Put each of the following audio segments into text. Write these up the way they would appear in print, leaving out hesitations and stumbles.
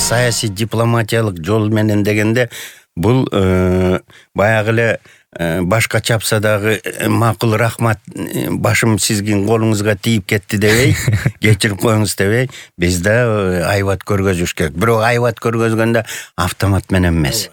саясий дипломатиялык жол менен дегенде бул баягы эле башка чапса дагы макул рахмат, башым сизгин колуңузга тийип кетти дебей, кечирип коюңуз дебей, биз да айбат көргөзүш керек. Бирок айбат көргөзгөндө автомат менен эмес.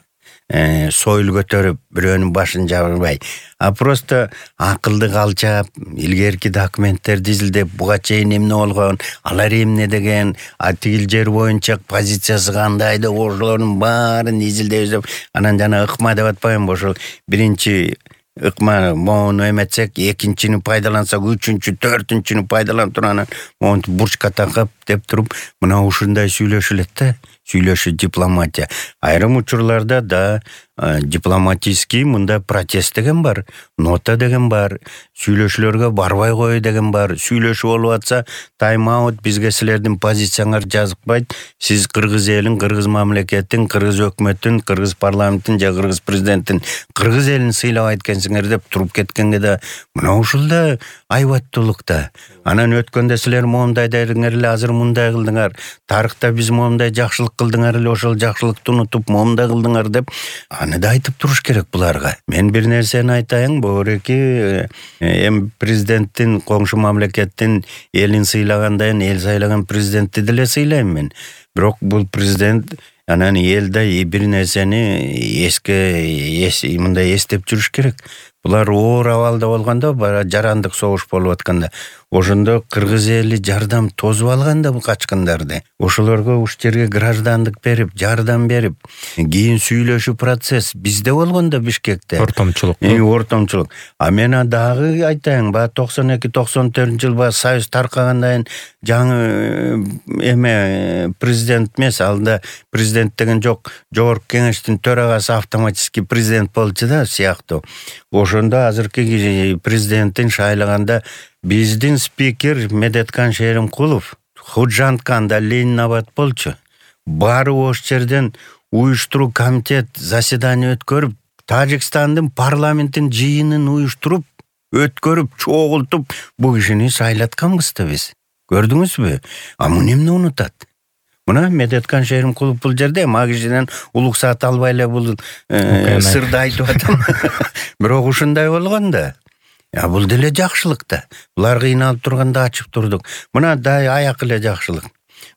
Союл көтөрүп, бирөөнүн башын жабырбай, а просто акылды калчап, илгерки документтерди изилдеп, буга чейин эмне болгон, алар эмне деген, тигил жер боюнча позициясы кандай деп, ошолордун баарын изилдеп, анан жана ыкма деп атпаймынбы, ошол биринчи ыкма моуну эметсек, экинчини пайдалансак, үчүнчү, төртүнчүнү пайдаланып туруп, анан монтип бурчка такап деп туруп, мына ушундай сүйлөшүлөт да. Сүйлөшүү дипломатия. Айрым учурларда да дипломатический мында протест деген бар, нота деген бар, сүйлөшүүлөргө барбай кою деген бар. Сүйлөшүү болуп атса, тайм-аут, бизге силердин позицияңар жазыкпайт. Сиз кыргыз элин, кыргыз мамлекеттин, кыргыз өкмөттүн, кыргыз парламенттин же кыргыз президенттин, кыргыз элин сыйлабайт экенсиңер деп туруп кеткенге да мына ушул да айбаттуулук да. Анан өткөндө силер моундай дедиңер эле, азыр мындай кылдыңар. Тарыхта биз моундай жакшылык кылдыңар эле, ошол жакшылыкты унутуп моундай кылдыңар деп аны да айтып туруш керек буларга. Мен бир нерсени айтайын, бөгөреки президенттин, коңшу мамлекеттин элин сыйлагандай, эл сайлаган президентти деле сыйлайм мен. Бирок бул президент анан элде бир нерсени мындай эстеп жүрүш керек. Булар оор абалда болгондо, жарандык согуш болуп атканда, ошондо кыргыз эли жардам тосуп алганда бул качкындарды. Ошолорго уш жерге граждандык берип, жардам берип, кийин сүйлөшүү процесс бизде болгондо Бишкекте. Ортомчулук. А мен дагы айтайын, 92-94-жыл Союз таркагандан жаңы президент эмес, алда президент деген жок, жогорку кеңештин төрагасы автоматический президент болчу да сыяктуу. Ошондо азыркы президенттин шайлаганда биздин спикер Медеткан Шеримкулов Худжантканда Ленинабад болчу. Баары ош жерден уюштуруу комитет заседание өткөрүп, Тажикстандын парламенттин жыйынын уюштуруп, өткөрүп, чогултуп, бул кишини шайлатканбыз да биз. Көрдүңүзбү? А муну эмне унутат? Мына Медеткан Шеримкулов бул жерде кишинен улуксаат албай эле бул сырды айтып атам. Бирок ушундай болгон да. Бул деле жакшылык да. Булар кыйналып турганда ачып турдук. Мына аяк эле жакшылык.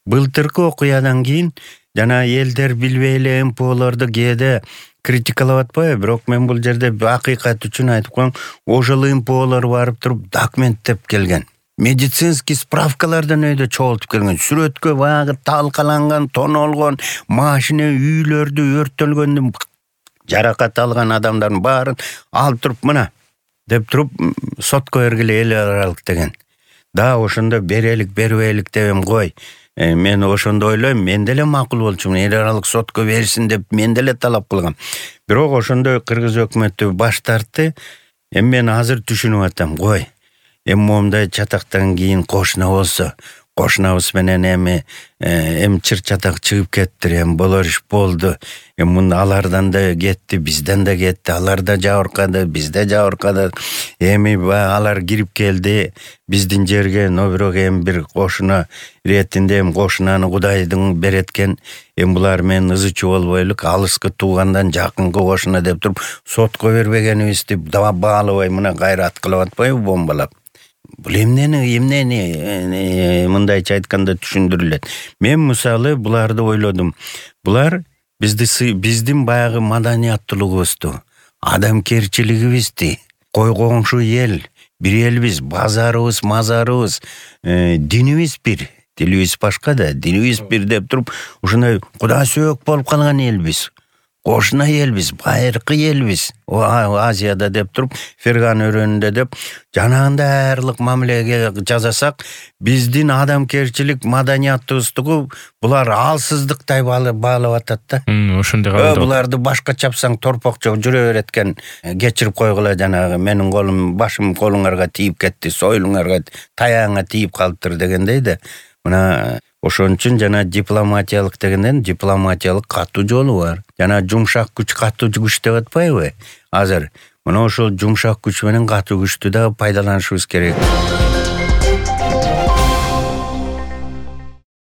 Былтыркы окуядан кийин жана элдер билбей эле МПОлорду кээде критикалап атпайбы, бирок мен бул жерде акыйкат үчүн айтып коем, ошол МПОлор барып туруп документтеп келген. Медицинский справкалардан өйдө чогултуп келген. Сүрөткө баягы талкаланган, тонолгон, машина үйлөрдү өрттөлгөндүн жаракат алган адамдардын баарын алып туруп, мына деп туруп сотко бергиле эл аралык деген. Да ошондо берелик, бербейлик дебем кой. Мен ошондо ойлойм, мен деле макул болчумун, эл аралык сотко берсин деп мен деле талап кылгам. Бирок ошондо кыргыз өкмөтү баш тартты. Мен азыр түшүнүп атам, кой. Моундай чатактан кийин кошуна болсо, кошунабыз менен эми чыр чатак чыгып кетти, болор иш болду. Муну алардан да кетти, бизден да кетти, алар да жабыркады, бизде жабыркады. Алар кирип келди биздин жерге, но бирок бир кошуна иретинде кошунаны Кудайдын береткен. Булар менен ызычуу болбойлук, алыскы туугандан жакынкы кошуна деп туруп сотко бербегенибизди баалабай мына кайрат кылып атпайбы бомбалап. Бул эмнени мындайча айтканда түшүндүрүлөт. Мен мисалы буларды ойлодум. Булар биздин баягы маданияттуулугубузду, адамкерчилигибизди, коңшу эл, бир элбиз, базарыбыз, мазарыбыз, динибиз бир, тилибиз башка да, динибиз бир деп туруп, ушундай Кудай сөөк болуп калган элбиз. Кошуна элбиз, байыркы элбиз. Азияда деп туруп, Ферган өрөөнүндө деп, жанагында аярлык мамилеге жасасак, биздин адамкерчилик, маданияттуулугу булар алсыздыктай баалап атат да. Ошондой калды. Буларды башка чапсаң торпокчо жүрө берет экен. Кечирип койгула, жанагы менин колум, башым колуңарга тийип кетти, союлуңарга, таяңа тийип калыптыр дегендей да. Мына ошон үчүн жана дипломатиялык дегенден дипломатиялык катуу жолу бар. Жана жумшак күч, катуу күч деп атпайбы? Азыр мына ошол жумшак күч менен катуу күчтү да пайдаланышыбыз керек.